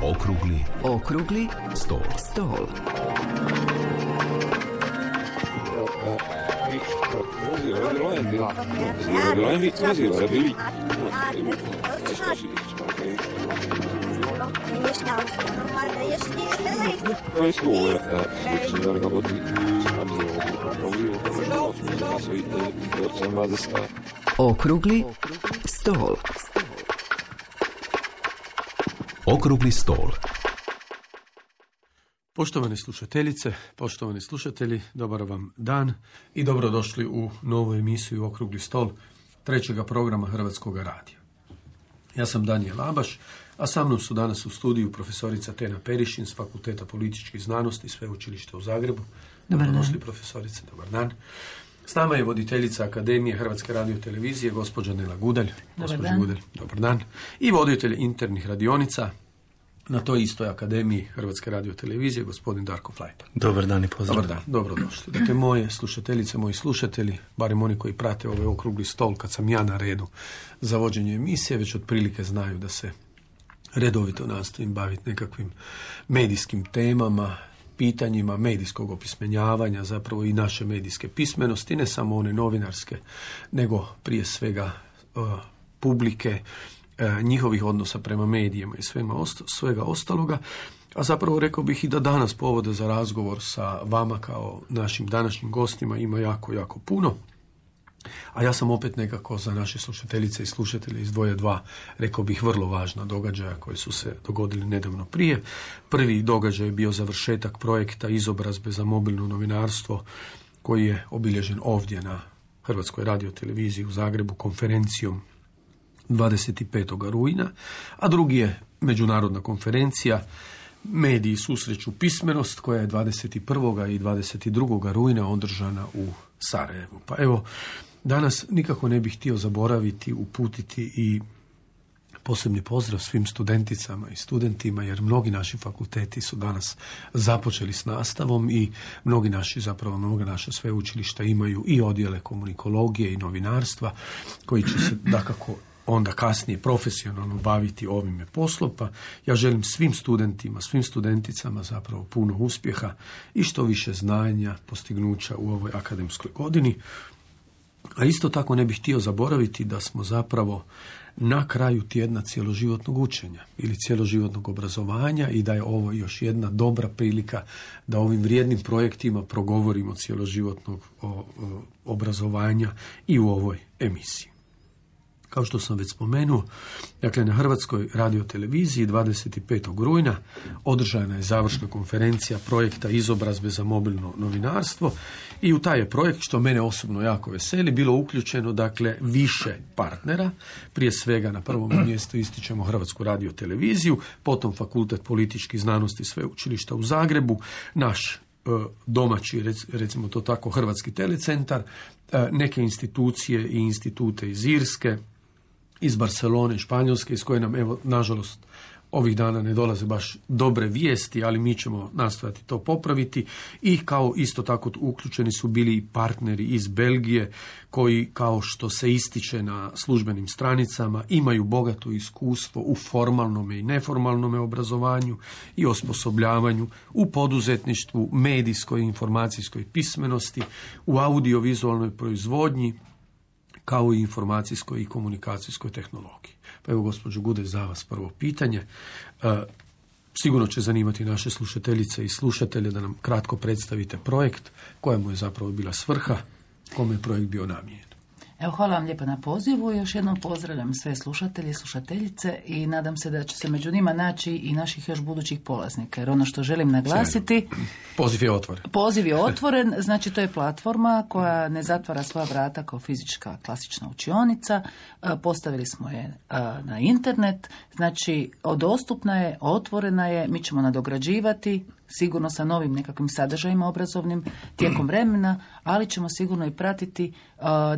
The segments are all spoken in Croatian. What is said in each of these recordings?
Okrugli stol. Okrugli stol. Okrugli stol. Poštovane slušateljice, poštovani slušatelji, dobar vam dan i dobrodošli u novu emisiju Okrugli stol, trećega programa Hrvatskog radija. Ja sam Danijel Abaš, a sa mnom su danas u studiju profesorica Tena Perišin s Fakulteta političkih znanosti Sveučilišta u Zagrebu. Dobrodošli, profesorice, dobar dan. S nama je voditeljica Akademije Hrvatske radiotelevizije, gospođa Nela Gudalj. Dobar dan. I voditelj internih radionica na toj istoj Akademiji Hrvatske radiotelevizije, gospodin Darko Flajton. Dobar dan i pozdrav. Dobar dan, dobrodošli. Dakle, moje slušateljice, moji slušatelji, barem oni koji prate ovaj okrugli stol kad sam ja na redu za vođenje emisije, već otprilike znaju da se redovito nastojim baviti nekakvim medijskim temama, pitanjima medijskog opismenjavanja, zapravo i naše medijske pismenosti, ne samo one novinarske, nego prije svega publike, njihovih odnosa prema medijima i svega ostaloga. A zapravo rekao bih i da danas povode za razgovor sa vama kao našim današnjim gostima ima jako, jako puno. A ja sam opet nekako za naše slušateljice i slušatelje izdvojio dva, rekao bih, vrlo važna događaja koji su se dogodili nedavno prije. Prvi događaj je bio završetak projekta izobrazbe za mobilno novinarstvo koji je obilježen ovdje na Hrvatskoj radioteleviziji u Zagrebu konferencijom 25. rujna, a drugi je međunarodna konferencija Mediji susreću pismenost koja je 21. i 22. rujna održana u Sarajevu. Pa evo, danas nikako ne bih htio zaboraviti, uputiti i posebni pozdrav svim studenticama i studentima, jer mnogi naši fakulteti su danas započeli s nastavom i mnoga naša sveučilišta imaju i odjele komunikologije i novinarstva koji će se dakako onda kasnije profesionalno baviti ovime poslom, pa ja želim svim studentima, svim studenticama zapravo puno uspjeha i što više znanja, postignuća u ovoj akademskoj godini. A isto tako ne bih htio zaboraviti da smo zapravo na kraju tjedna cjeloživotnog učenja ili cjeloživotnog obrazovanja i da je ovo još jedna dobra prilika da ovim vrijednim projektima progovorimo cjeloživotnog obrazovanja i u ovoj emisiji. Kao što sam već spomenuo, dakle na Hrvatskoj radioteleviziji 25. rujna održana je završna konferencija projekta izobrazbe za mobilno novinarstvo i u taj je projekt, što mene osobno jako veseli, bilo uključeno dakle više partnera. Prije svega na prvom mjestu ističemo Hrvatsku radioteleviziju, potom Fakultet političkih znanosti Sveučilišta u Zagrebu, naš domaći, recimo to tako, Hrvatski telecentar, neke institucije i institute iz Irske, iz Barcelone, Španjolske, iz koje nam, evo, nažalost, ovih dana ne dolaze baš dobre vijesti, ali mi ćemo nastojati to popraviti. I kao isto tako uključeni su bili i partneri iz Belgije, koji, kao što se ističe na službenim stranicama, imaju bogato iskustvo u formalnom i neformalnom obrazovanju i osposobljavanju, u poduzetništvu, medijskoj i informacijskoj pismenosti, u audiovizualnoj proizvodnji, kao i informacijskoj i komunikacijskoj tehnologiji. Pa evo, gospođo Gude, za vas prvo pitanje. Sigurno će zanimati naše slušateljice i slušatelje da nam kratko predstavite projekt, kojemu je zapravo bila svrha, kome je projekt bio namijenjen. Evo, hvala vam lijepa na pozivu. Još jednom pozdravljam sve slušatelje i slušateljice i nadam se da će se među njima naći i naših još budućih polaznika. Jer ono što želim naglasiti... Poziv je otvoren. Poziv je otvoren, znači to je platforma koja ne zatvara svoja vrata kao fizička klasična učionica. Postavili smo je na internet, znači dostupna je, otvorena je, mi ćemo nadograđivati, sigurno sa novim nekakvim sadržajima obrazovnim tijekom vremena, ali ćemo sigurno i pratiti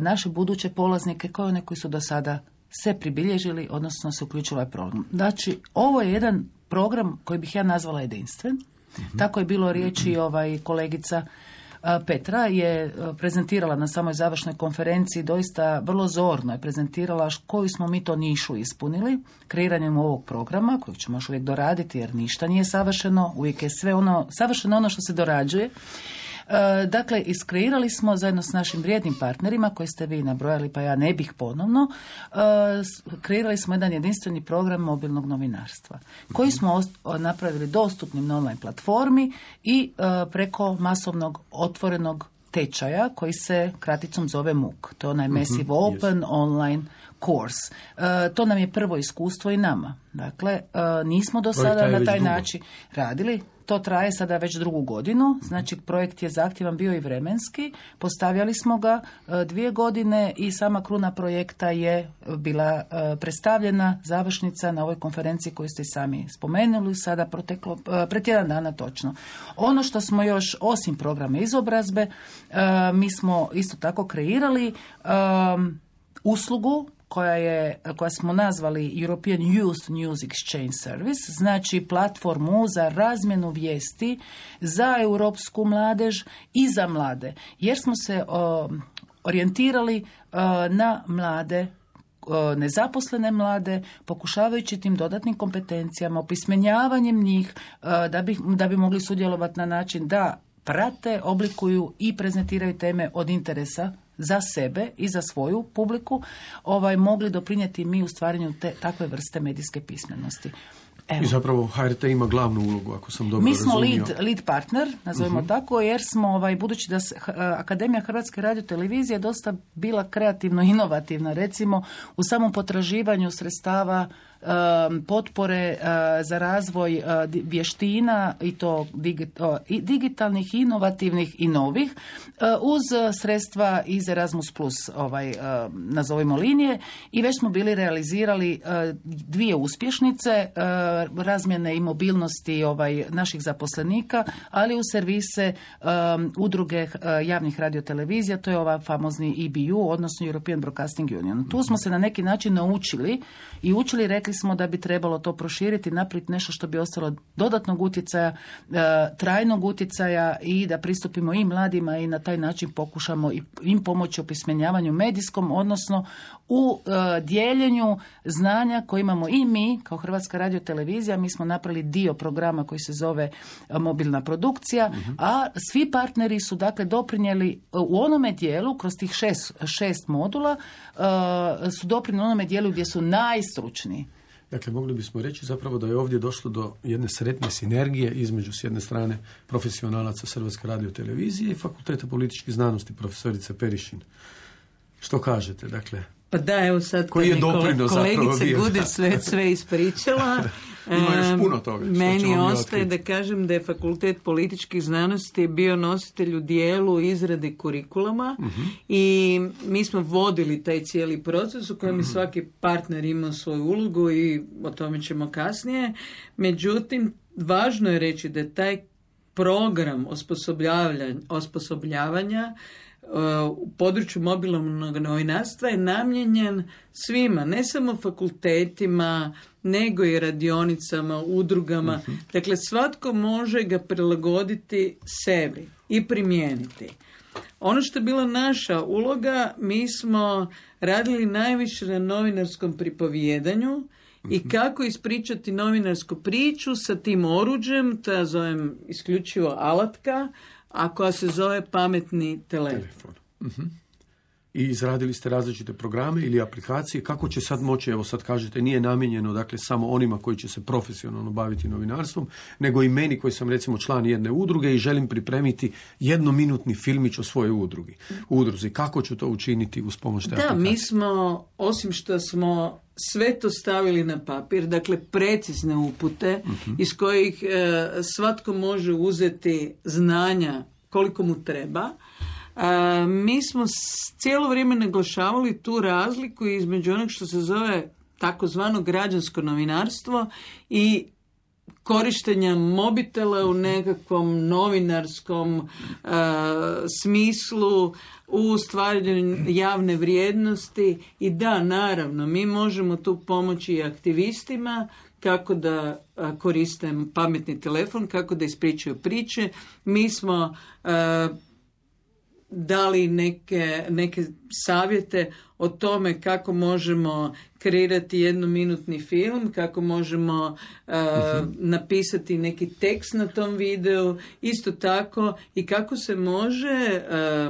naše buduće polaznike kao one koji su do sada se pribilježili, odnosno se uključili ovaj program. Znači, ovo je jedan program koji bih ja nazvala jedinstven. Tako je bilo riječi kolegica Petra je prezentirala na samoj završnoj konferenciji, doista vrlo zorno je prezentirala koju smo mi to nišu ispunili kreiranjem ovog programa, kojeg ćemo još uvijek doraditi jer ništa nije savršeno, uvijek je sve savršeno ono što se dorađuje. Dakle, iskreirali smo zajedno s našim vrijednim partnerima koji ste vi nabrojali, pa ja ne bih ponovno, kreirali smo jedan jedinstveni program mobilnog novinarstva koji smo napravili dostupnim na online platformi i preko masovnog otvorenog tečaja koji se kraticom zove MOOC. To je onaj Massive Open Online Course. To nam je prvo iskustvo i nama. Dakle, nismo do sada na taj način radili. To traje sada već 2. godinu, znači projekt je zahtjevan bio i vremenski, postavljali smo ga 2 godine i sama kruna projekta je bila predstavljena, završnica na ovoj konferenciji koju ste sami spomenuli, sada proteklo pred 1 dana točno. Ono što smo još, osim programa izobrazbe, mi smo isto tako kreirali uslugu koja smo nazvali European Youth News Exchange Service, znači platformu za razmjenu vijesti za europsku mladež i za mlade, jer smo se orijentirali na mlade, nezaposlene mlade, pokušavajući tim dodatnim kompetencijama, opismenjavanjem njih, da bi mogli sudjelovati na način da prate, oblikuju i prezentiraju teme od interesa za sebe i za svoju publiku, mogli doprinijeti mi u stvaranju takve vrste medijske pismenosti. Evo. I zapravo HRT ima glavnu ulogu, ako sam dobro razumio. Mi smo lead partner, nazovimo tako, jer smo, budući da Akademija Hrvatske radiotelevizije dosta bila kreativno inovativna, recimo u samom potraživanju sredstava potpore za razvoj vještina i to digitalnih, inovativnih i novih uz sredstva iz Erasmus Plus nazovimo linije, i već smo bili realizirali 2 uspješnice razmjene i mobilnosti naših zaposlenika, ali u servise udruge javnih radiotelevizija, to je ova famozni EBU, odnosno European Broadcasting Union. Tu smo se na neki način naučili i rekli smo da bi trebalo to proširiti, napraviti nešto što bi ostalo dodatnog utjecaja, trajnog utjecaja, i da pristupimo i mladima i na taj način pokušamo im pomoći u opismenjavanju medijskom, odnosno u dijeljenju znanja koje imamo i mi kao Hrvatska radiotelevizija. Mi smo napravili dio programa koji se zove mobilna produkcija, a svi partneri su dakle doprinijeli u onome dijelu, kroz tih 6 modula, su doprinijeli u onome dijelu gdje su najstručniji. Dakle, mogli bismo reći zapravo da je ovdje došlo do jedne sretne sinergije između s jedne strane profesionalaca Hrvatske radiotelevizije i Fakulteta političkih znanosti profesorice Perišin. Što kažete, dakle? Pa da, evo sad koji je doprinos kolegica Gude sve ispričala. Ima još puno toga. Meni ostaje da kažem da je Fakultet političkih znanosti bio nositelj u dijelu izrade kurikuluma i mi smo vodili taj cijeli proces u kojem svaki partner ima svoju ulogu i o tome ćemo kasnije. Međutim, važno je reći da je taj program osposobljavanja u području mobilnog novinarstva je namijenjen svima, ne samo fakultetima, nego i radionicama, udrugama. Dakle, svatko može ga prilagoditi sebi i primijeniti. Ono što je bila naša uloga, mi smo radili najviše na novinarskom pripovijedanju i kako ispričati novinarsku priču sa tim oruđem, to ja zovem isključivo alatka, a koja se zove pametni telefon. I izradili ste različite programe ili aplikacije. Kako će sad moći, evo sad kažete, nije namijenjeno dakle samo onima koji će se profesionalno baviti novinarstvom, nego i meni koji sam recimo član jedne udruge i želim pripremiti 1-minutni filmić o svojoj udruzi. Kako ću to učiniti uz pomoć te aplikacije? Da, mi smo, osim što smo sve to stavili na papir, dakle precizne upute iz kojih svatko može uzeti znanja koliko mu treba, mi smo cijelo vrijeme naglašavali tu razliku između onog što se zove takozvano građansko novinarstvo i korištenja mobitela u nekakvom novinarskom smislu, u stvaranju javne vrijednosti. I da, naravno, mi možemo tu pomoći i aktivistima kako da koriste pametni telefon, kako da ispričaju priče. Mi smo dali neke savjete o tome kako možemo kreirati jednominutni film, kako možemo napisati neki tekst na tom videu, isto tako i kako se može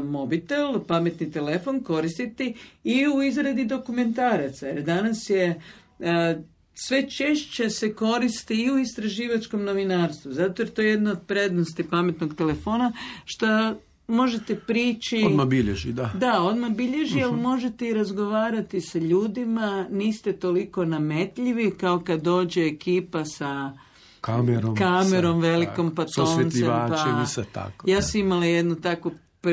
mobitel, pametni telefon koristiti i u izradi dokumentaraca. Jer danas je sve češće se koristi i u istraživačkom novinarstvu, zato jer to je jedna od prednosti pametnog telefona, što možete prići... Odmah bilježi, da. Da, odmah bilježi, ali možete i razgovarati sa ljudima, niste toliko nametljivi kao kad dođe ekipa sa kamerom velikom, pa toncem. Pa... tako. Ja sam imala jednu takvu,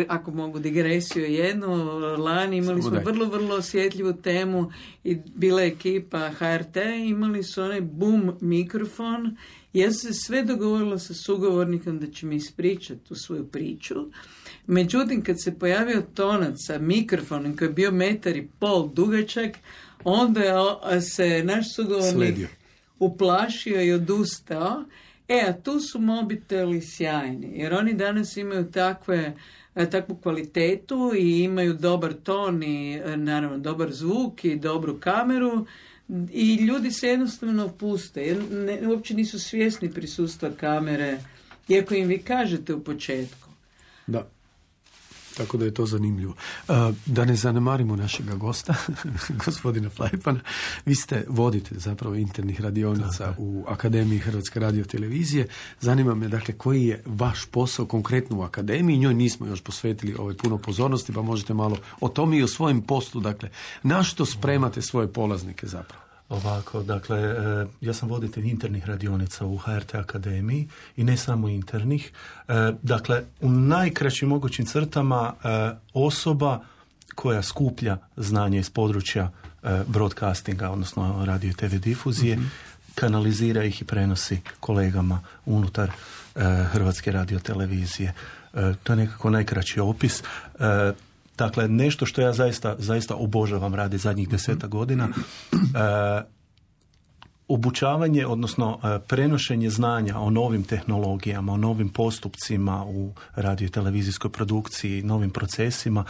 ako mogu digresiju jednu, lani imali smo vrlo osjetljivu temu i bila je ekipa HRT, imali su onaj boom mikrofon. Ja sam se sve dogovorila sa sugovornikom da će mi ispričati tu svoju priču. Međutim, kad se pojavio tonac sa mikrofonom koji je bio 1,5 m dugačak, onda se naš sugovornik uplašio i odustao. A tu su mobiteli sjajni, jer oni danas imaju takvu kvalitetu i imaju dobar ton i naravno dobar zvuk i dobru kameru i ljudi se jednostavno opuste, jer uopće nisu svjesni prisustva kamere, iako im vi kažete u početku. Da. Tako da je to zanimljivo. Da ne zanemarimo našega gosta, gospodina Flajpana, vi vodite zapravo internih radionica u Akademiji Hrvatske radiotelevizije. Zanima me, dakle, koji je vaš posao konkretno u Akademiji? Njoj nismo još posvetili puno pozornosti, pa možete malo o tome i o svojem poslu, dakle, na što spremate svoje polaznike zapravo? Ovako, dakle, ja sam voditelj internih radionica u HRT Akademiji i ne samo internih. Dakle, u najkraćim mogućim crtama osoba koja skuplja znanje iz područja broadcastinga, odnosno radio i TV difuzije, kanalizira ih i prenosi kolegama unutar Hrvatske radiotelevizije. To je nekako najkraći opis. Dakle, nešto što ja zaista obožavam radi zadnjih 10 godina, obučavanje, odnosno prenošenje znanja o novim tehnologijama, o novim postupcima u radio i televizijskoj produkciji, novim procesima.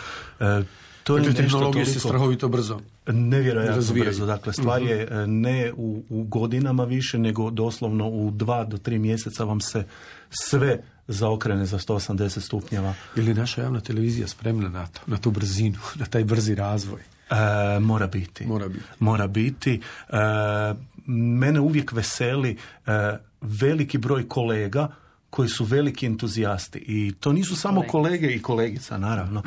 To je tehnologije se strahovito brzo. Nevjerojatno brzo. Dakle, stvar je ne u godinama više, nego doslovno u 2 do 3 mjeseca vam se sve zaokrene za 180 stupnjeva. Je li naša javna televizija spremna na to, na tu brzinu, na taj brzi razvoj? Mora biti. Mene uvijek veseli veliki broj kolega koji su veliki entuzijasti. I to nisu samo kolege i kolegica, naravno.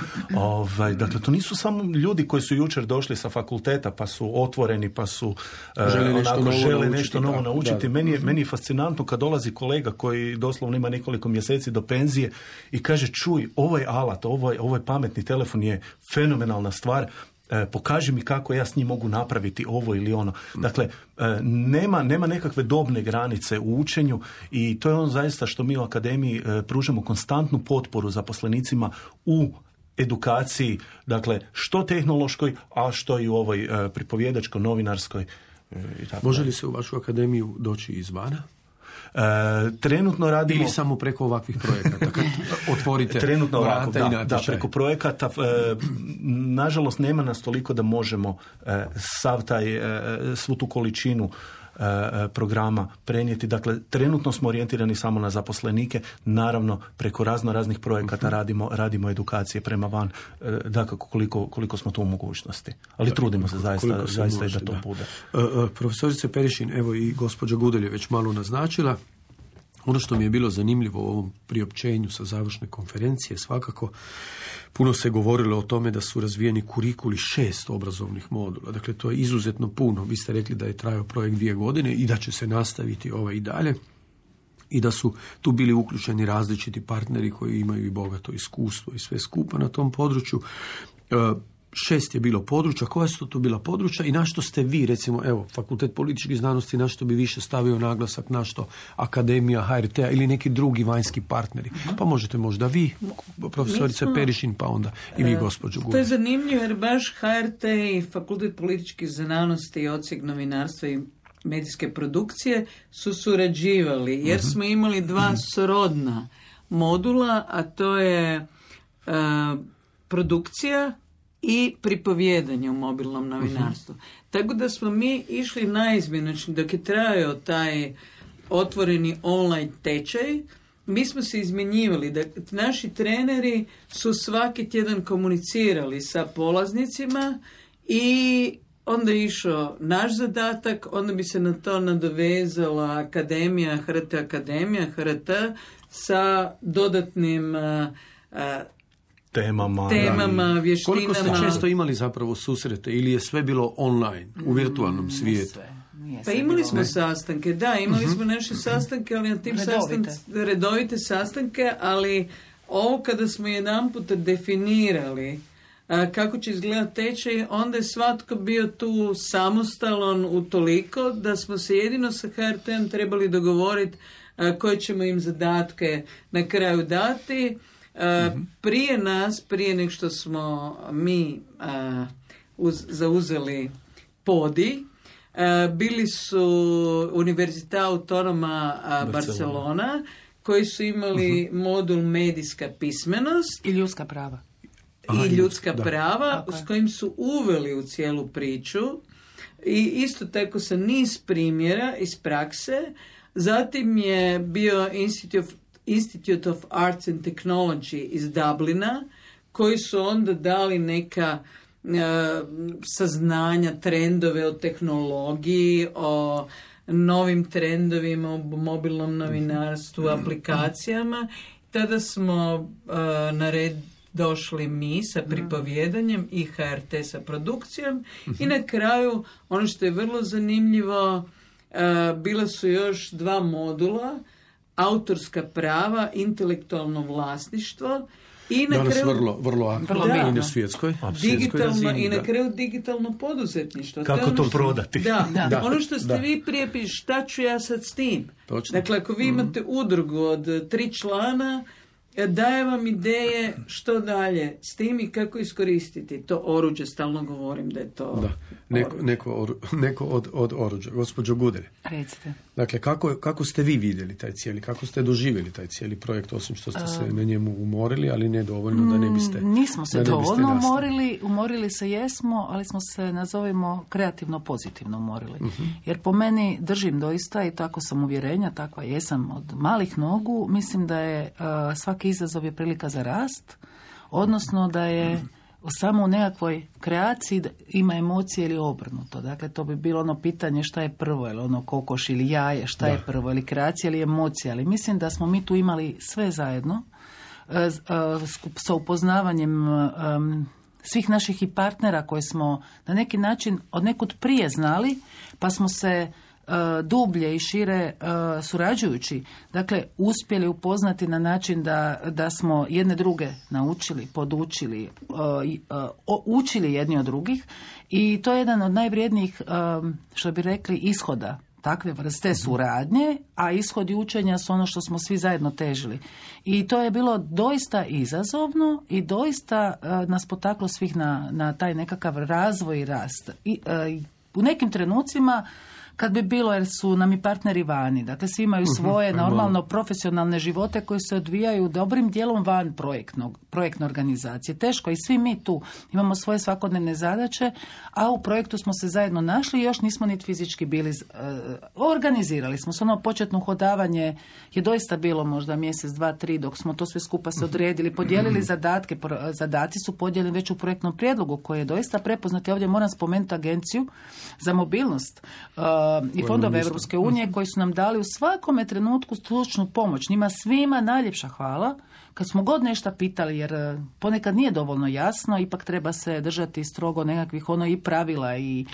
Dakle, to nisu samo ljudi koji su jučer došli sa fakulteta pa su otvoreni, pa su žele nešto novo naučiti. Meni je fascinantno kad dolazi kolega koji doslovno ima nekoliko mjeseci do penzije i kaže, čuj, ovaj alat, ovaj pametni telefon je fenomenalna stvar, pokaži mi kako ja s njim mogu napraviti ovo ili ono. Dakle, nema nekakve dobne granice u učenju i to je ono zaista što mi u Akademiji pružamo konstantnu potporu zaposlenicima u edukaciji, dakle, što tehnološkoj, a što i u ovoj pripovjedačko-novinarskoj. Može li se u vašu akademiju doći izvana? Trenutno radimo... Ili samo preko ovakvih projekata, kad otvorite trenutno vrata i natječaj? Da, preko projekata. Nažalost, nema nas toliko da možemo svu tu količinu programa prenijeti. Dakle, trenutno smo orijentirani samo na zaposlenike. Naravno, preko raznih projekata radimo edukacije prema van, dakako koliko smo tu u mogućnosti. Ali trudimo se zaista i da to bude. Profesorice Perišin, evo i gospođa Gudelj je već malo naznačila. Ono što mi je bilo zanimljivo u ovom priopćenju sa završne konferencije, svakako puno se govorilo o tome da su razvijeni kurikuli 6 obrazovnih modula. Dakle, to je izuzetno puno. Vi ste rekli da je trajao projekt 2 godine i da će se nastaviti i dalje. I da su tu bili uključeni različiti partneri koji imaju i bogato iskustvo i sve skupa na tom području. 6 je bilo područja. Koja su to bila područja i na što ste vi, recimo, evo, Fakultet političkih znanosti, na što bi više stavio naglasak, na što Akademija HRT-a ili neki drugi vanjski partneri? Pa možete možda vi, profesorica Perišin, pa onda i vi, gospođo Gudelj. To je zanimljivo jer baš HRT i Fakultet političkih znanosti i odsjek novinarstva i medijske produkcije su surađivali, jer smo imali 2 srodna modula, a to je produkcija i pripovijedanje u mobilnom novinarstvu. Tako da smo mi išli naizmjenično dok je trajao taj otvoreni online tečaj. Mi smo se izmjenjivali, da naši treneri su svaki tjedan komunicirali sa polaznicima i onda je išao naš zadatak, onda bi se na to nadovezala Akademija, HRT sa dodatnim temama, vještinama. Koliko ste često imali zapravo susrete ili je sve bilo online, u virtualnom svijetu? Pa imali smo sastanke, imali smo naše sastanke, ali na tim redovite sastanke, ali ovo kada smo jedanput definirali kako će izgledati tečaj, onda je svatko bio tu samostalan utoliko da smo se jedino sa HRT-om trebali dogovoriti koje ćemo im zadatke na kraju dati. Prije nego što smo mi zauzeli podi, bili su Università Autonoma Barcelona, koji su imali modul medijska pismenost i ljudska prava. Prava, s kojim su uveli u cijelu priču i isto tako sa niz primjera iz prakse. Zatim je bio Institute of Arts and Technology iz Dublina, koji su onda dali neka saznanja, trendove o tehnologiji, o novim trendovima u mobilnom novinarstvu, aplikacijama. Tada smo na red došli mi sa pripovjedanjem i HRT sa produkcijom i na kraju, ono što je vrlo zanimljivo, bila su još 2 modula, autorska prava, intelektualno vlasništvo i na danas kraju vrlo aktualno na svjetskoj digitalno i na kraju digitalno poduzetništvo. Kako to prodati? Da. Ono što ste vi prije pišli, šta ću ja sad s tim? Točno. Dakle, ako vi imate udrugu od 3 člana, daje vam ideje što dalje s tim i kako iskoristiti to oruđe, stalno govorim da je to neko od oruđa. Gospođo Gudelj, recite. Dakle, kako ste vi vidjeli taj cijeli, kako ste doživjeli taj cijeli projekt, osim što ste se na njemu umorili, ali ne dovoljno da ne biste... Nismo se dovoljno umorili se jesmo, ali smo se, nazovimo, kreativno pozitivno umorili. Jer po meni držim doista, i tako sam uvjerenja, takva jesam od malih nogu, mislim da je svaki izazov je prilika za rast, odnosno da je samo u nekakvoj kreaciji ima emocije ili obrnuto. Dakle, to bi bilo ono pitanje šta je prvo, ili ono kokoš ili jaje, šta je prvo, ili kreacija ili emocija. Ali mislim da smo mi tu imali sve zajedno sa upoznavanjem svih naših i partnera koje smo na neki način od nekud prije znali, pa smo se dublje i šire surađujući, dakle, uspjeli upoznati na način da smo jedne druge naučili, podučili, učili jedni od drugih, i to je jedan od najvrijednijih, što bi rekli, ishoda takve vrste suradnje, a ishodi učenja su ono što smo svi zajedno težili. I to je bilo doista izazovno i doista nas potaklo svih na taj nekakav razvoj i rast. U nekim trenucprojektima kad bi bilo, jer su nam i partneri vani, dakle svi imaju svoje normalno profesionalne živote koji se odvijaju dobrim dijelom van projektne organizacije. Teško, i svi mi tu imamo svoje svakodnevne zadaće, a u projektu smo se zajedno našli i još nismo niti fizički bili, organizirali smo se. Ono početno hodavanje je doista bilo možda mjesec, 2, 3 dok smo to sve skupa se odredili, podijelili zadatke. Zadaci su podijeljeni već u projektnom prijedlogu koji je doista prepoznat. Ja ovdje moram spomenuti Agenciju za mobilnost i fondove Europske unije koji su nam dali u svakome trenutku stručnu pomoć. Njima svima najljepša hvala. Kad smo god nešto pitali, jer ponekad nije dovoljno jasno, ipak treba se držati strogo nekakvih i pravila i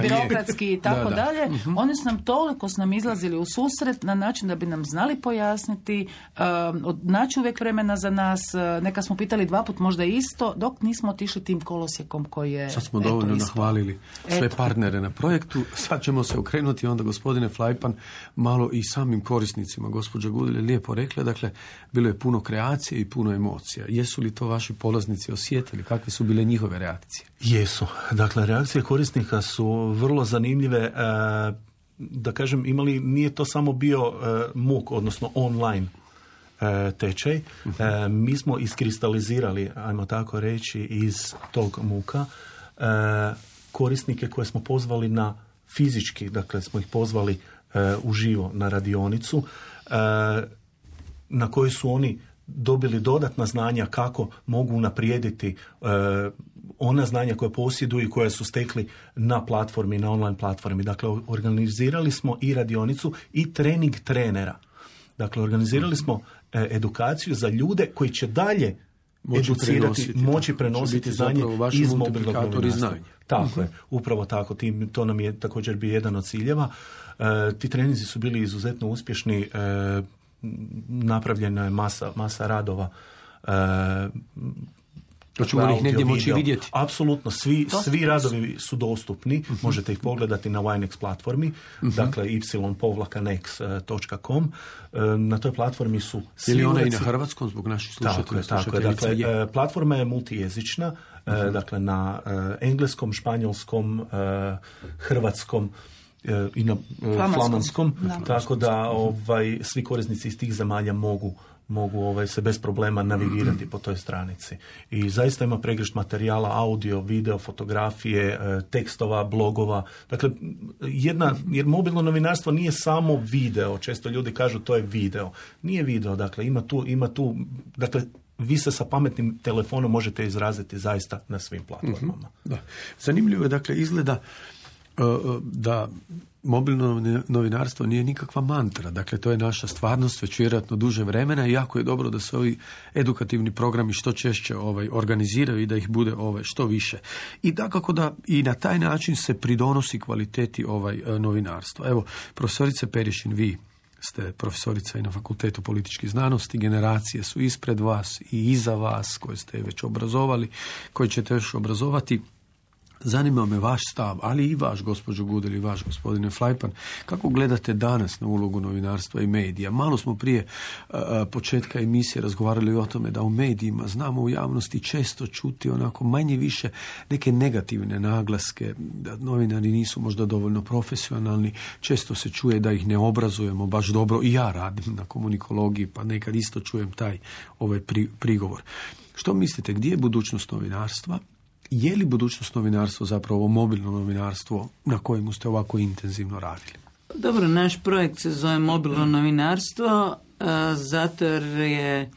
birokratski i tako dalje. Oni su nam izlazili u susret na način da bi nam znali pojasniti, naći uvijek vremena za nas. Neka smo pitali 2 puta možda isto, dok nismo otišli tim kolosijekom koji je... Sad smo dovoljno nahvalili sve partnere na projektu. Sad ćemo se okrenuti onda, gospodine Flajpan, malo i samim korisnicima. Gospođa Gudelj je lijepo rekla, dakle, bilo je puno kreacije i puno emocija. Jesu li to vaši polaznici osjetili? Kakve su bile njihove reakcije? Jesu. Dakle, reakcije korisnika su vrlo zanimljive. Da kažem, nije to samo bio MOOC, odnosno online tečaj. Mi smo iskristalizirali, ajmo tako reći, iz tog MOOC-a korisnike koje smo pozvali na fizički, dakle smo ih pozvali uživo na radionicu, na kojoj su oni dobili dodatna znanja kako mogu unaprijediti ona znanja koje posjeduju i koje su stekli na platformi, na online platformi. Dakle, organizirali smo i radionicu i trening trenera. Dakle, organizirali smo edukaciju za ljude koji će dalje moći prenositi znanje iz mobilnog novinarstva. Tako je, upravo tako. To nam je također bio jedan od ciljeva. Ti treninzi su bili izuzetno uspješni. Napravljena je masa radova. To ćemo ih negdje moći vidjeti. Apsolutno, svi radovi su dostupni. Možete ih pogledati na Winex platformi, dakle y-nex.com. Na toj platformi su svi... Ili ona i na hrvatskom zbog naših slušatelja? Tako je. Dakle, platforma je multijezična, dakle na engleskom, španjolskom, hrvatskom i na flamanskom, tako da svi korisnici iz tih zemalja mogu se bez problema navigirati po toj stranici. I zaista ima pregršt materijala, audio, video, fotografije, tekstova, blogova. Dakle, jer mobilno novinarstvo nije samo video. Često ljudi kažu to je video. Nije video, dakle, ima tu, dakle, vi se sa pametnim telefonom možete izraziti zaista na svim platformama. Da. Zanimljivo je, dakle, izgleda da mobilno novinarstvo nije nikakva mantra. Dakle, to je naša stvarnost već vjerojatno duže vremena i jako je dobro da se ovi edukativni programi što češće organiziraju i da ih bude što više. I dakako da i na taj način se pridonosi kvaliteti novinarstva. Evo, profesorice Perišin, vi ste profesorica i na Fakultetu političkih znanosti, generacije su ispred vas i iza vas koje ste već obrazovali, koji ćete još obrazovati. Zanima me vaš stav, ali i vaš, gospođo Gudel, i vaš, gospodine Flajpan, kako gledate danas na ulogu novinarstva i medija? Malo smo prije početka emisije razgovarali o tome da u medijima znamo u javnosti često čuti onako manje više neke negativne naglaske, da novinari nisu možda dovoljno profesionalni, često se čuje da ih ne obrazujemo baš dobro, i ja radim na komunikologiji, pa nekad isto čujem taj prigovor. Što mislite, gdje je budućnost novinarstva? Je li budućnost novinarstva zapravo mobilno novinarstvo na kojemu ste ovako intenzivno radili? Dobro, naš projekt se zove mobilno novinarstvo, zato jer je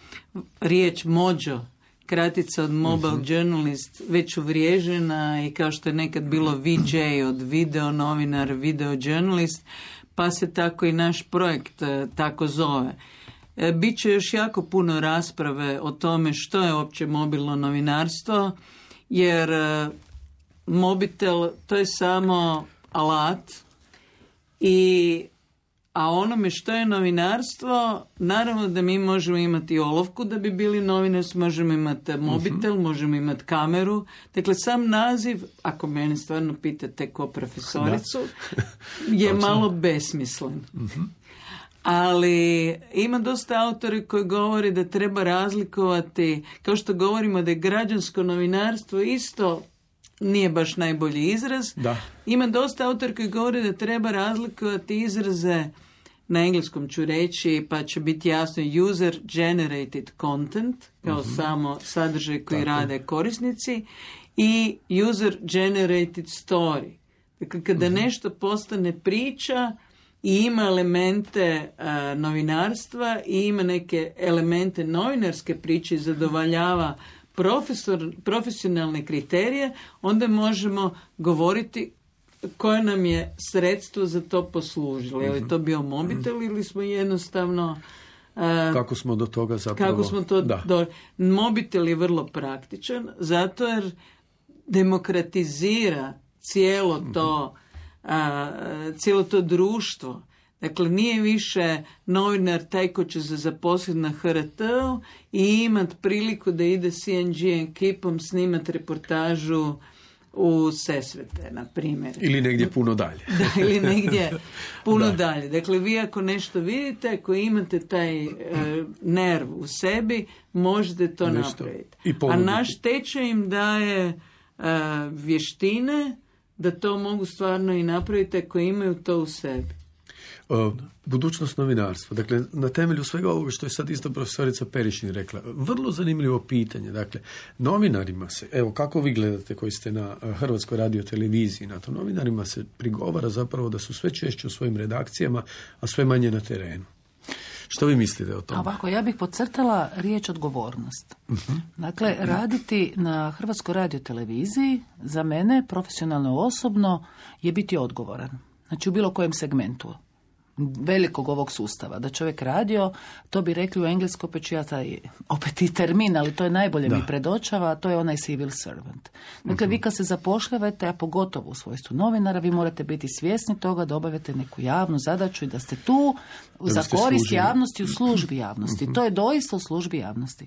riječ mođo, kratica od mobile journalist, već uvriježena i kao što je nekad bilo VJ od video novinar, video journalist, pa se tako i naš projekt tako zove. Biće još jako puno rasprave o tome što je uopće mobilno novinarstvo, jer mobitel to je samo alat, a onome što je novinarstvo, naravno da mi možemo imati olovku da bi bili novinari, možemo imati mobitel, možemo imati kameru. Dakle, sam naziv, ako mene stvarno pitate ko profesoricu, je malo besmislen. Ali ima dosta autori koji govori da treba razlikovati, kao što govorimo da je građansko novinarstvo isto nije baš najbolji izraz. Da. Ima dosta autori koji govori da treba razlikovati izraze, na engleskom ću reći, pa će biti jasno user generated content, kao samo sadržaj koji rade korisnici, i user generated story. Dakle, kada nešto postane priča i ima elemente novinarstva i ima neke elemente novinarske priče i zadovoljava profesionalne kriterije, onda možemo govoriti koje nam je sredstvo za to poslužilo. Je li to bio mobitel ili smo jednostavno... kako smo do toga zapravo... Kako smo to mobitel je vrlo praktičan, zato jer demokratizira cijelo to društvo. Dakle, nije više novinar taj ko će se zaposliti na HRT-u i imati priliku da ide CNG ekipom snimati reportažu u Sesvete, na primjer. Ili negdje puno dalje. Da, ili negdje puno dalje. Dakle, vi ako nešto vidite, ako imate taj nerv u sebi, možete to napraviti. A naš tečaj im daje vještine da to mogu stvarno i napraviti ako imaju to u sebi. Budućnost novinarstva. Dakle, na temelju svega ovoga što je sad isto profesorica Perišin rekla, vrlo zanimljivo pitanje. Dakle, novinarima se, evo kako vi gledate koji ste na Hrvatskoj radioteleviziji, na to novinarima se prigovara zapravo da su sve češće u svojim redakcijama, a sve manje na terenu. Što vi mislite o tome? Ovako, ja bih podcrtala riječ odgovornost. Dakle, raditi na Hrvatskoj radioteleviziji za mene, profesionalno osobno, je biti odgovoran. Znači, u bilo kojem segmentu velikog ovog sustava. Da čovjek radio, to bi rekli u engleskom, opet i termin, ali to je najbolje mi predočava, a to je onaj civil servant. Dakle, vi kad se zapošljavate, a pogotovo u svojstvu novinara, vi morate biti svjesni toga da obavljate neku javnu zadaću i da ste tu za korist javnosti, u službi javnosti. To je doista u službi javnosti.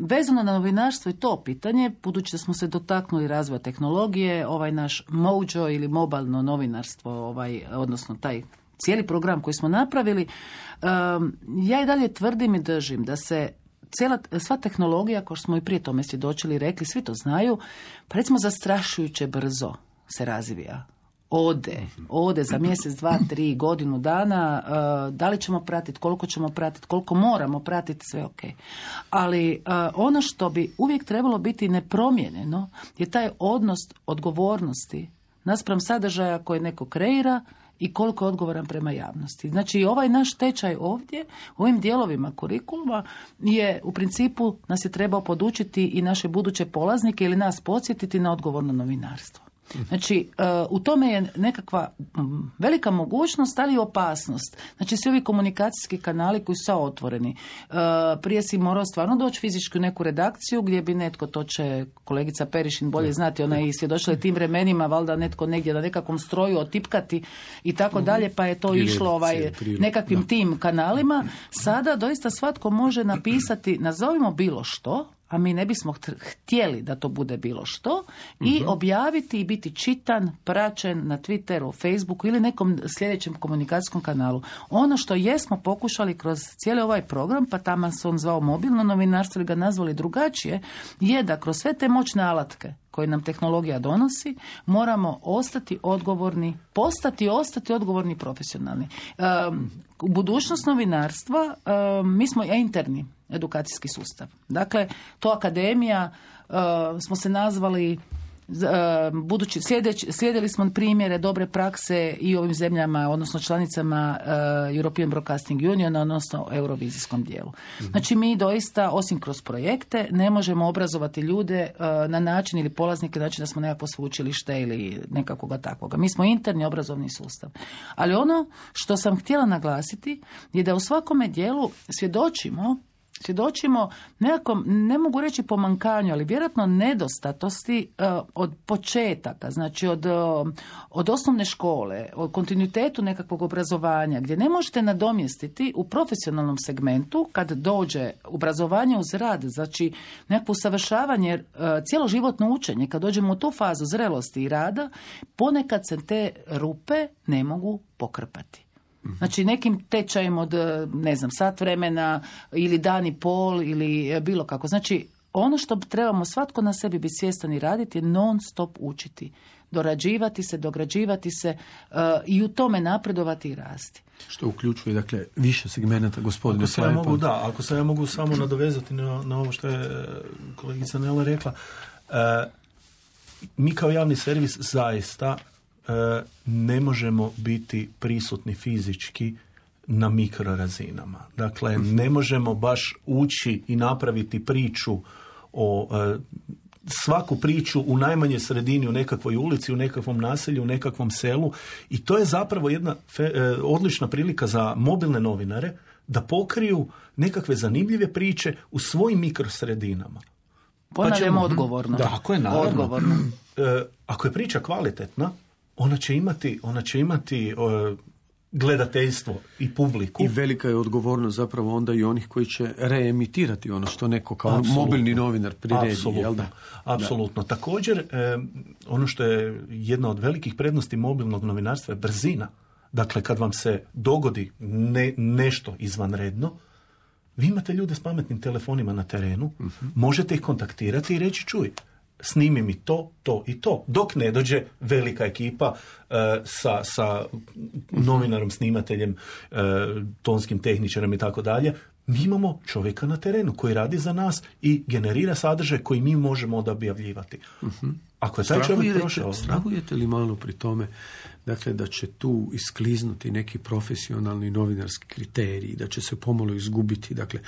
Vezano na novinarstvo i to pitanje, budući da smo se dotaknuli razvoja tehnologije, ovaj naš Mojo ili mobilno novinarstvo, odnosno taj cijeli program koji smo napravili, ja i dalje tvrdim i držim da se sva tehnologija, kao što smo i prije tome svjedočili i rekli, svi to znaju, pa recimo zastrašujuće brzo se razvija. Ode za mjesec, 2, 3, godinu dana, da li ćemo pratiti, koliko moramo pratiti, sve ok. Ali ono što bi uvijek trebalo biti nepromijenjeno je taj odnos odgovornosti naspram sadržaja koje neko kreira i koliko je odgovoran prema javnosti. Znači, ovaj naš tečaj ovdje, u ovim dijelovima kurikuluma, je u principu nas je trebao podučiti i naše buduće polaznike ili nas podsjetiti na odgovorno novinarstvo. Znači, u tome je nekakva velika mogućnost, ali i opasnost. Znači, svi ovi komunikacijski kanali koji su otvoreni. Prije si morao stvarno doći fizički u neku redakciju gdje bi netko, to će kolegica Perišin bolje znati, ona je i svjedočila tim vremenima, valjda netko negdje na nekakvom stroju otipkati i tako dalje, pa je to išlo nekakvim tim kanalima. Sada doista svatko može napisati, nazovimo bilo što, a mi ne bismo htjeli da to bude bilo što, i objaviti i biti čitan, praćen na Twitteru, Facebooku ili nekom sljedećem komunikacijskom kanalu. Ono što jesmo pokušali kroz cijeli ovaj program, pa tamo se on zvao mobilno novinarstvo ili ga nazvali drugačije, je da kroz sve te moćne alatke koje nam tehnologija donosi, moramo ostati odgovorni, ostati odgovorni profesionalni. U budućnost novinarstva mi smo interni edukacijski sustav. Dakle, to akademija smo se nazvali, budući slijedili smo primjere dobre prakse i ovim zemljama, odnosno članicama European Broadcasting Union, odnosno eurovizijskom dijelu. Znači, mi doista, osim kroz projekte, ne možemo obrazovati ljude na način ili polaznike, znači da smo nekako sveučilište ili nekakvoga takvoga. Mi smo interni obrazovni sustav. Ali ono što sam htjela naglasiti je da u svakome dijelu svjedočimo nekakvom, ne mogu reći pomankanju, ali vjerojatno nedostatosti od početaka, znači od osnovne škole, od kontinuitetu nekakvog obrazovanja, gdje ne možete nadomjestiti u profesionalnom segmentu, kad dođe obrazovanje uz rad, znači nekakvo usavršavanje, cjeloživotno učenje, kad dođemo u tu fazu zrelosti i rada, ponekad se te rupe ne mogu pokrpati. Znači, nekim tečajem od, sat vremena ili dan i pol ili bilo kako. Znači, ono što trebamo svatko na sebi biti svjestan i raditi je non stop učiti. Dorađivati se, dograđivati se i u tome napredovati i rasti. Što uključuje, dakle, više segmenata, gospodine Ako se ja mogu samo nadovezati na ovo što je kolegica Nela rekla. Mi kao javni servis zaista ne možemo biti prisutni fizički na mikrorazinama. Dakle, ne možemo baš ući i napraviti priču o svaku priču u najmanje sredini, u nekakvoj ulici, u nekakvom naselju, u nekakvom selu, i to je zapravo jedna odlična prilika za mobilne novinare da pokriju nekakve zanimljive priče u svojim mikrosredinama. Ponavljamo odgovorno. Da, ako je naravno. Odgovorno. Ako je priča kvalitetna, ona će imati gledateljstvo i publiku. I velika je odgovornost zapravo onda i onih koji će reemitirati ono što neko kao mobilni novinar priredi. Apsolutno. Također, ono što je jedna od velikih prednosti mobilnog novinarstva je brzina. Dakle, kad vam se dogodi nešto izvanredno, vi imate ljude s pametnim telefonima na terenu, možete ih kontaktirati i reći, čuj, snimi mi to i to. Dok ne dođe velika ekipa sa novinarom, snimateljem, tonskim tehničarom i tako dalje. Mi imamo čovjeka na terenu koji radi za nas i generira sadržaj koji mi možemo onda objavljivati. Ako je taj čovjek prošao... Strahujete li malo pri tome, dakle, da će tu iskliznuti neki profesionalni novinarski kriteriji, da će se pomalo izgubiti, dakle,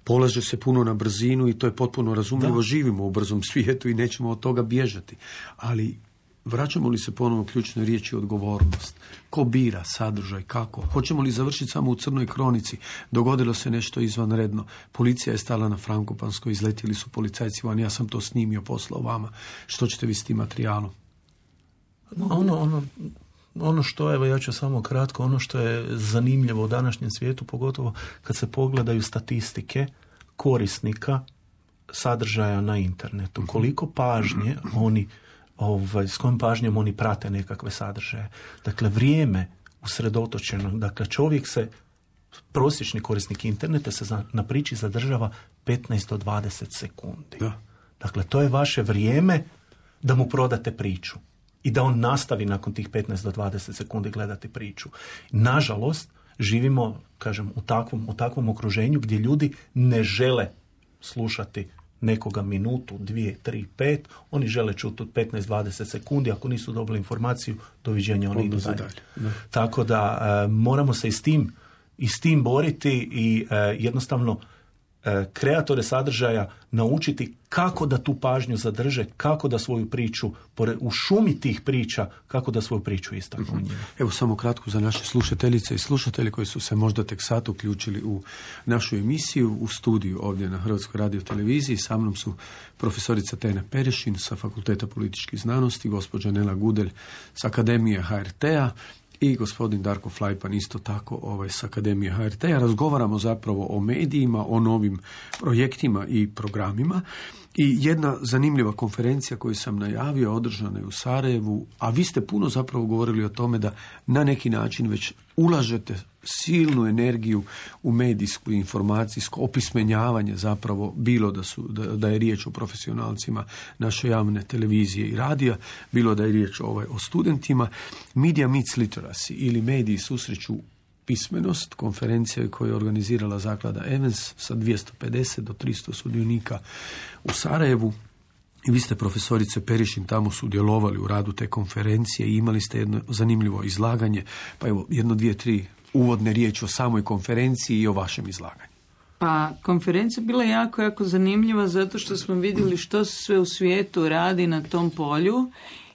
polaže se puno na brzinu i to je potpuno razumljivo, živimo u brzom svijetu i nećemo od toga bježati. Ali vraćamo li se ponovno ključnoj riječi odgovornost? Ko bira sadržaj, kako? Hoćemo li završiti samo u crnoj kronici? Dogodilo se nešto izvanredno. Policija je stala na Frankopanskoj, izletili su policajci van, ja sam to snimio, poslao vama. Što ćete vi s tim materijalom? Ono što, evo ja ću samo kratko, ono što je zanimljivo u današnjem svijetu, pogotovo kad se pogledaju statistike korisnika sadržaja na internetu. Koliko pažnje oni, s kojom pažnjom oni prate nekakve sadržaje. Dakle, vrijeme usredotočeno, dakle prosječni korisnik interneta se na priči zadržava 15 do 20 sekundi. Da. Dakle, to je vaše vrijeme da mu prodate priču i da on nastavi nakon tih 15 do 20 sekundi gledati priču. Nažalost, živimo, kažem, u takvom okruženju gdje ljudi ne žele slušati nekoga minutu, 2, 3, 5, oni žele čuti od 15-20 sekundi, ako nisu dobili informaciju, doviđenja, oni idu dalje. Tako da moramo se i s tim boriti i jednostavno kreatore sadržaja naučiti kako da tu pažnju zadrže, kako da svoju priču, u šumi tih priča, kako da svoju priču istaknu. Evo samo kratko za naše slušateljice i slušatelje koji su se možda tek sad uključili u našu emisiju, u studiju ovdje na Hrvatskoj radioteleviziji. Sa mnom su profesorica Tena Perešin sa Fakulteta političkih znanosti, gospođa Nela Gudelj s Akademije HRT-a i gospodin Darko Flajpan isto tako s Akademije HRT-a. Razgovaramo zapravo o medijima, o novim projektima i programima. I jedna zanimljiva konferencija koju sam najavio, održana je u Sarajevu, a vi ste puno zapravo govorili o tome da na neki način već ulažete silnu energiju u medijsku i informacijsko opismenjavanje, zapravo bilo da je riječ o profesionalcima naše javne televizije i radija, bilo da je riječ o studentima. Media Meets Literacy ili mediji susreću pismenost, konferencija koju je organizirala zaklada Evans sa 250 do 300 sudionika u Sarajevu. I vi ste, profesorice Perišin, tamo sudjelovali u radu te konferencije i imali ste jedno zanimljivo izlaganje. Pa evo, 1, 2, 3 uvodne riječi o samoj konferenciji i o vašem izlaganju. Pa, konferencija bila jako, jako zanimljiva zato što smo vidjeli što se sve u svijetu radi na tom polju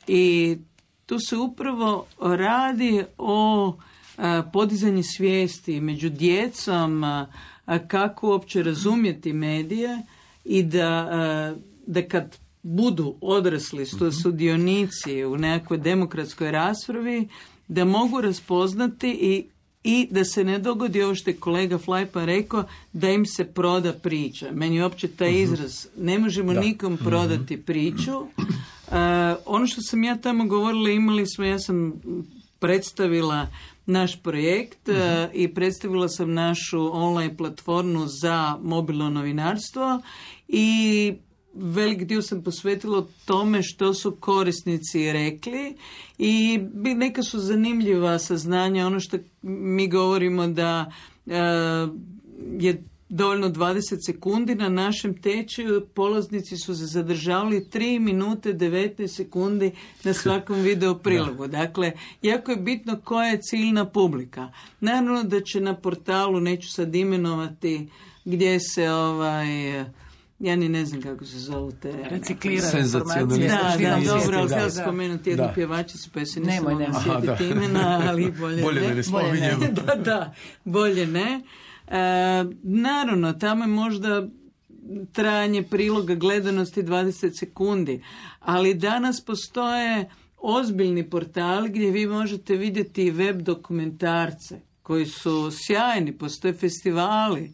i tu se upravo radi o podizanje svijesti među djecom, kako uopće razumjeti medije i da kad budu odrasli sudionici u nekakvoj demokratskoj raspravi, da mogu raspoznati i da se ne dogodi ovo što je kolega Flajpan rekao, da im se proda priča. Meni je uopće taj izraz, ne možemo nikom prodati priču. Ono što sam ja tamo govorila, ja sam predstavila naš projekt i predstavila sam našu online platformu za mobilno novinarstvo i velik dio sam posvetila tome što su korisnici rekli i neka su zanimljiva saznanja. Ono što mi govorimo da je dovoljno 20 sekundi, na našem tečaju polaznici su se zadržavali 3 minute 19 sekundi na svakom video prilogu. Dakle, jako je bitno koja je ciljna publika. Naravno da će na portalu, neću sad imenovati, gdje se ja ni ne znam kako se zovu te... Reciklirane informacije. Da, dobro, ali htjela spomenuti jednu pjevačicu, pa se nisam sjetiti imena, ali bolje ne. Ne spominjem. Bolje ne. Naravno, tamo je možda trajanje priloga gledanosti 20 sekundi, ali danas postoje ozbiljni portali gdje vi možete vidjeti web dokumentarce koji su sjajni, postoje festivali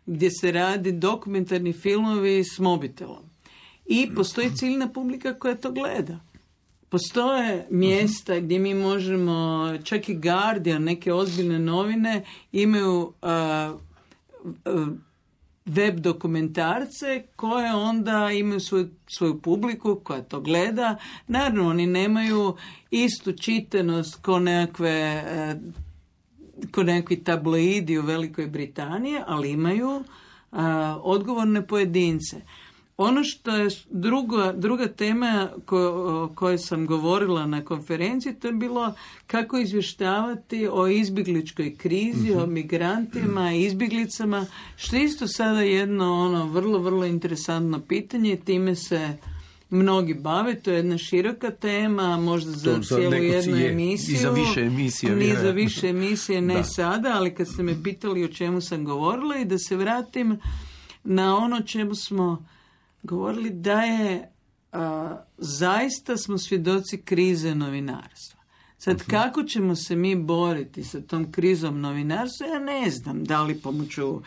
gdje se radi dokumentarni filmovi s mobitelom. I postoji ciljna publika koja to gleda. Postoje mjesta gdje mi možemo, čak i Guardian, neke ozbiljne novine, imaju web dokumentarce koje onda imaju svoju publiku koja to gleda. Naravno, oni nemaju istu čitanost ko nekakvi tabloidi u Velikoj Britaniji, ali imaju odgovorne pojedince. Ono što je druga tema o kojoj sam govorila na konferenciji, to je bilo kako izvještavati o izbjegličkoj krizi, o migrantima, izbjeglicama, što je isto sada jedno vrlo, vrlo interesantno pitanje. Time se mnogi bave, to je jedna široka tema, možda za cijelu jednu emisiju. I za više emisije. Ni za više emisije, ne sada, ali kad ste me pitali o čemu sam govorila, i da se vratim na ono čemu smo govorili, da je zaista smo svjedoci krize novinarstva. Sad, kako ćemo se mi boriti sa tom krizom novinarstva, ja ne znam, da li pomoću,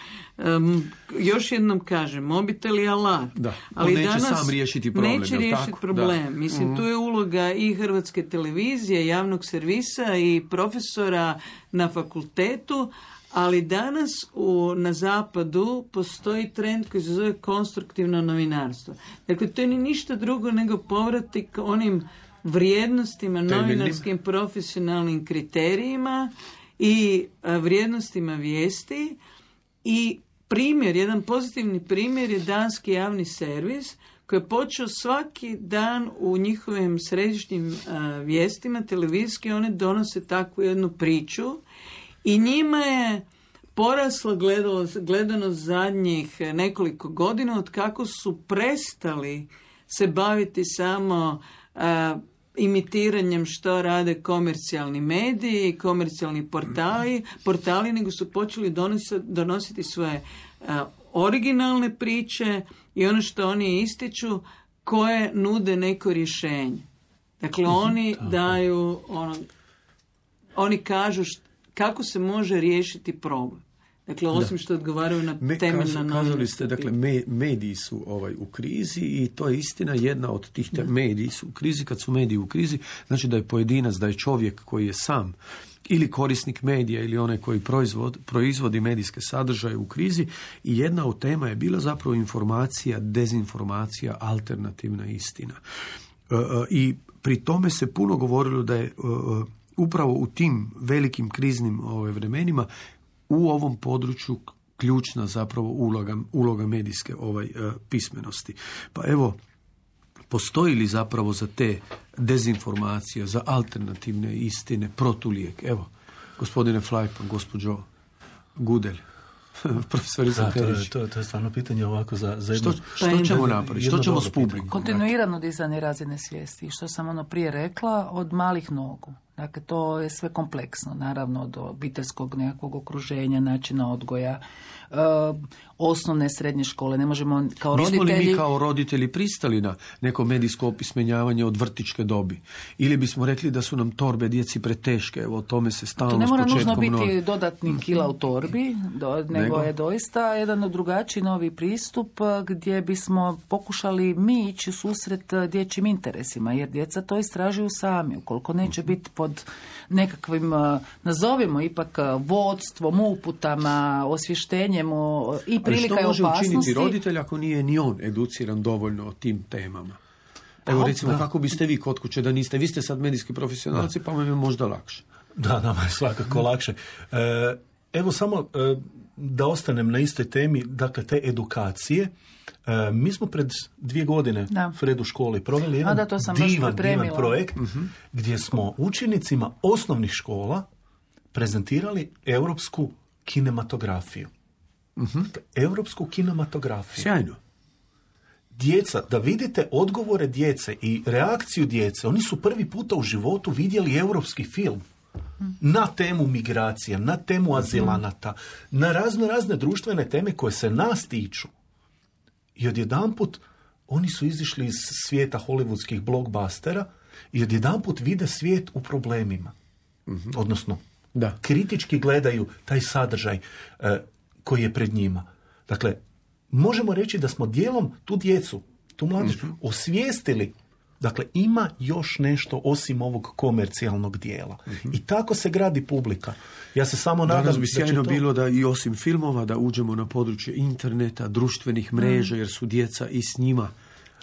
još jednom kažem, mobitel i alat. Da, ali neće danas sam riješiti problem. Neće riješiti problem. Da. Mislim, tu je uloga i Hrvatske televizije, javnog servisa i profesora na fakultetu, ali danas na zapadu postoji trend koji se zove konstruktivno novinarstvo. Dakle, to je ništa drugo nego povratak onim vrijednostima, novinarskim profesionalnim kriterijima i vrijednostima vijesti. I jedan pozitivni primjer je danski javni servis koji je počeo svaki dan u njihovim središnjim vijestima televizijski, one donose takvu jednu priču i njima je porasla gledanost zadnjih nekoliko godina od kako su prestali se baviti samo imitiranjem što rade komercijalni mediji i komercijalni portali, nego su počeli donositi svoje originalne priče i ono što oni ističu koje nude neko rješenje. Dakle, oni daju, oni kažu kako se može riješiti problem. Dakle, osim što odgovaraju na temeljna novinarska. Kazali ste, dakle, mediji su u krizi i to je istina, jedna od tih mediji su u krizi. Kad su mediji u krizi, znači da je pojedinac, da je čovjek koji je sam ili korisnik medija ili onaj koji proizvodi medijske sadržaje u krizi. I jedna od tema je bila zapravo informacija, dezinformacija, alternativna istina. I pri tome se puno govorilo da je upravo u tim velikim kriznim vremenima u ovom području ključna zapravo uloga medijske pismenosti. Pa evo, postoji li zapravo za te dezinformacije, za alternativne istine protulijek? Evo, gospodine Flajpan, gospođo Gudelj, profesorica Perić. To je stvarno pitanje ovako za jedno... Što ćemo napraviti? Što ćemo s publikom? Kontinuirano dizanje razine svijesti. I što sam prije rekla, od malih nogu. Dakle, to je sve kompleksno, naravno, od obiteljskog nekakvog okruženja, načina odgoja, osnovne, srednje škole. Ne možemo kao roditelji... Bismo li mi kao roditelji pristali na neko medijsko opismenjavanje od vrtićke dobi? Ili bismo rekli da su nam torbe djeci preteške? Evo, o tome se stalno s početkom... To ne mora nužno biti dodatni kila u torbi, nego je doista jedan drugačiji novi pristup gdje bismo pokušali mi ići u susret dječjim interesima, jer djeca to istražuju sami. Ukoliko neće biti pod nekakvim, nazovimo ipak, vodstvom, uputama, osvještenjem i prilika i opasnosti. Što može učiniti roditelj ako nije ni on educiran dovoljno o tim temama? Evo, recimo, kako biste vi kod kuće da niste? Vi ste sad medijski profesionalci, pa vam je možda lakše. Da, nama je svakako lakše. Evo samo da ostanem na istoj temi, dakle, te edukacije. Mi smo pred 2 godine Fred u školi proveli jedan divan projekt gdje smo učenicima osnovnih škola prezentirali europsku kinematografiju. Europsku kinematografiju. Sjajno. Djeca, da vidite odgovore djece i reakciju djece, oni su prvi puta u životu vidjeli europski film na temu migracija, na temu azilanata, na razne društvene teme koje se nas tiču. I odjedanput oni su izišli iz svijeta hollywoodskih blockbustera i odjedanput vide svijet u problemima. Odnosno, kritički gledaju taj sadržaj koji je pred njima. Dakle, možemo reći da smo dijelom tu djecu, tu mladež, osvijestili Dakle, ima još nešto osim ovog komercijalnog dijela. I tako se gradi publika. Ja se samo nadam danas bi da sjajno to... bilo da i osim filmova da uđemo na područje interneta, društvenih mreža, jer su djeca i s njima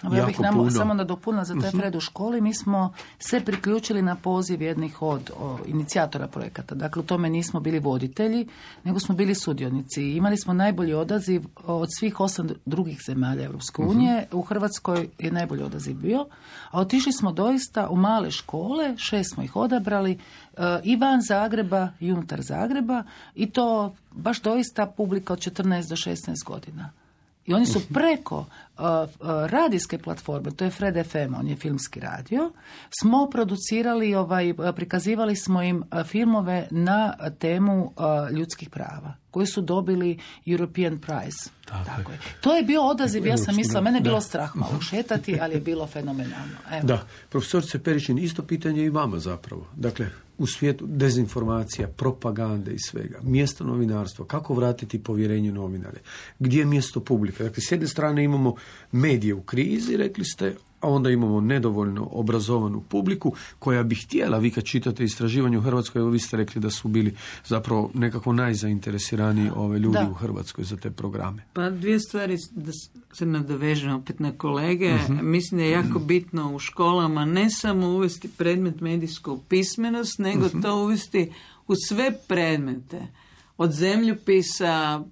Ja bih puno. samo nadopunila za taj Fred u školi. Mi smo se priključili na poziv jednih od inicijatora projekata. Dakle, u tome nismo bili voditelji, nego smo bili sudionici. Imali smo najbolji odaziv od svih 8 drugih zemalja Europske unije. U Hrvatskoj je najbolji odaziv bio. A otišli smo doista u male škole, 6 smo ih odabrali, i van Zagreba i unutar Zagreba. I to baš doista publika od 14 do 16 godina. I oni su preko radijske platforme, to je Fred FM, on je filmski radio, smo producirali, prikazivali smo im filmove na temu ljudskih prava, koji su dobili European Prize. Tako je. To je bio odaziv, ja sam mislila, mene je bilo strah malo šetati, ali je bilo fenomenalno. Evo. Da, profesorice Peričin, isto pitanje i vama zapravo. Dakle, u svijetu dezinformacija, propagande i svega, mjesto novinarstva, kako vratiti povjerenje novinare, gdje je mjesto publike. Dakle, s jedne strane imamo medije u krizi, rekli ste, a onda imamo nedovoljno obrazovanu publiku koja bi htjela, vi kad čitate istraživanje u Hrvatskoj, evo vi ste rekli da su bili zapravo nekako najzainteresiraniji ljudi u Hrvatskoj za te programe. Pa dvije stvari, da se nadovežem opet na kolege. Mislim da je jako bitno u školama ne samo uvesti predmet medijsku pismenost, nego to uvesti u sve predmete. Od zemljopisa,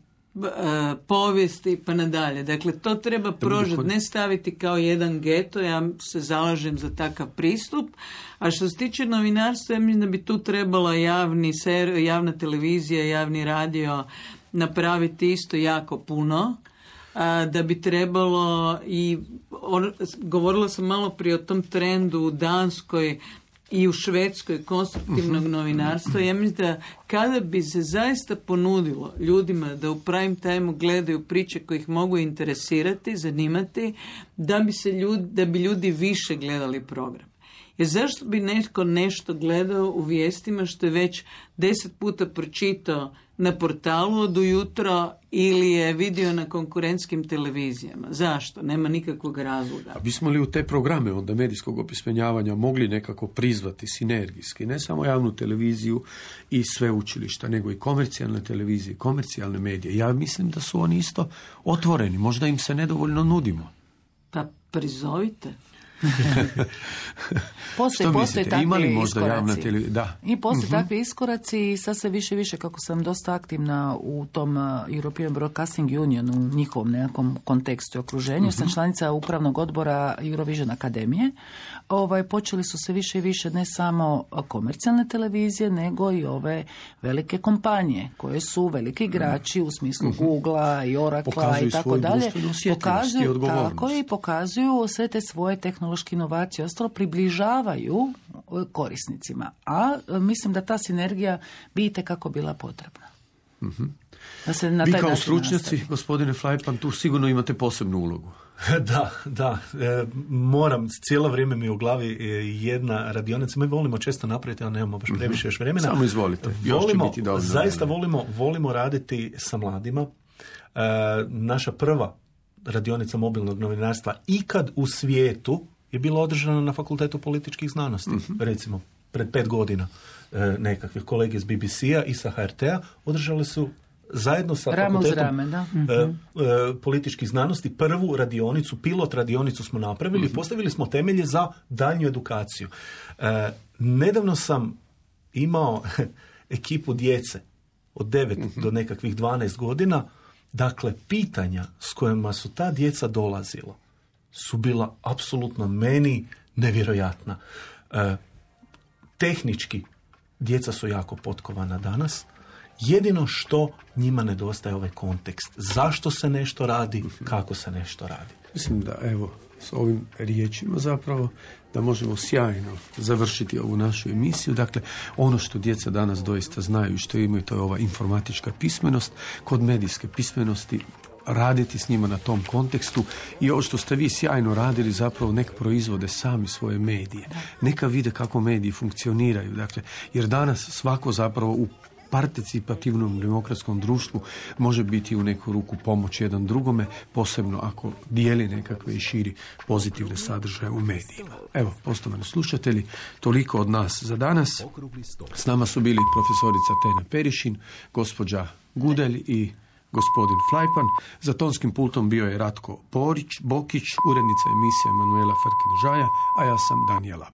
povijesti pa nadalje. Dakle, to treba prožeti, ne staviti kao jedan geto, ja se zalažem za takav pristup. A što se tiče novinarstva, ja mislim da bi tu trebala javna televizija, javni radio napraviti isto jako puno. Da bi trebalo i govorila sam malo prije o tom trendu u Danskoj i u Švedskoj konstruktivnog novinarstva. Ja mislim da kada bi se zaista ponudilo ljudima da u prime time gledaju priče koje ih mogu interesirati, zanimati, da bi ljudi više gledali program. Jer zašto bi netko nešto gledao u vijestima što je već 10 puta pročitao na portalu od ujutro ili je vidio na konkurentskim televizijama? Zašto? Nema nikakvog razloga. A bismo li u te programe onda medijskog opismenjavanja mogli nekako prizvati sinergijski, ne samo javnu televiziju i sveučilišta, nego i komercijalne televizije, komercijalne medije? Ja mislim da su oni isto otvoreni, možda im se nedovoljno nudimo. Pa prizovite. Postoje takvi iskoraci. Da. I postoje takvi iskoraci i sad se više, kako sam dosta aktivna u tom European Broadcasting Union, u njihovom nekakvom kontekstu i okruženju, sam članica upravnog odbora Eurovision Akademije. Počeli su se više i više ne samo komercijalne televizije, nego i ove velike kompanije, koje su veliki igrači u smislu Googlea i Oraclea i tako dalje. Pokazuju sve te svoje tehnološke inovacije, ostalo približavaju korisnicima. A mislim da ta sinergija bi itekako bila potrebna. Da se na taj vi kao način stručnjaci, nastavi. Gospodine Fleipan, tu sigurno imate posebnu ulogu. Da. Moram, cijelo vrijeme mi u glavi jedna radionica. Mi volimo često napraviti, ali nemamo baš previše još vremena. Samo izvolite. Zaista volimo raditi sa mladima. Naša prva radionica mobilnog novinarstva ikad u svijetu je bila održana na Fakultetu političkih znanosti. Recimo, pred 5 godina nekakve kolege iz BBC-a i sa HRT-a održali su zajedno sa Fakultetom političkih znanosti prvu radionicu, pilot radionicu smo napravili i postavili smo temelje za daljnju edukaciju. Nedavno sam imao ekipu djece od 9 do nekakvih 12 godina. Dakle, pitanja s kojima su ta djeca dolazila su bila apsolutno meni nevjerojatna. Tehnički, djeca su jako potkovana danas. Jedino što njima nedostaje ovaj kontekst. Zašto se nešto radi, kako se nešto radi. Mislim da, evo, s ovim riječima zapravo da možemo sjajno završiti ovu našu emisiju. Dakle, ono što djeca danas doista znaju i što imaju, to je ova informatička pismenost. Kod medijske pismenosti raditi s njima na tom kontekstu i ovo što ste vi sjajno radili, zapravo nek proizvode sami svoje medije. Neka vide kako mediji funkcioniraju. Dakle, jer danas svako zapravo u participativnom demokratskom društvu može biti u neku ruku pomoć jedan drugome, posebno ako dijeli nekakve i širi pozitivne sadržaje u medijima. Evo, poštovani slušatelji, toliko od nas za danas. S nama su bili profesorica Tena Perišin, gospođa Gudelj i gospodin Flajpan. Za tonskim pultom bio je Ratko Bokić, urednica emisije Emanuela Farkin-Žaja, a ja sam Danijela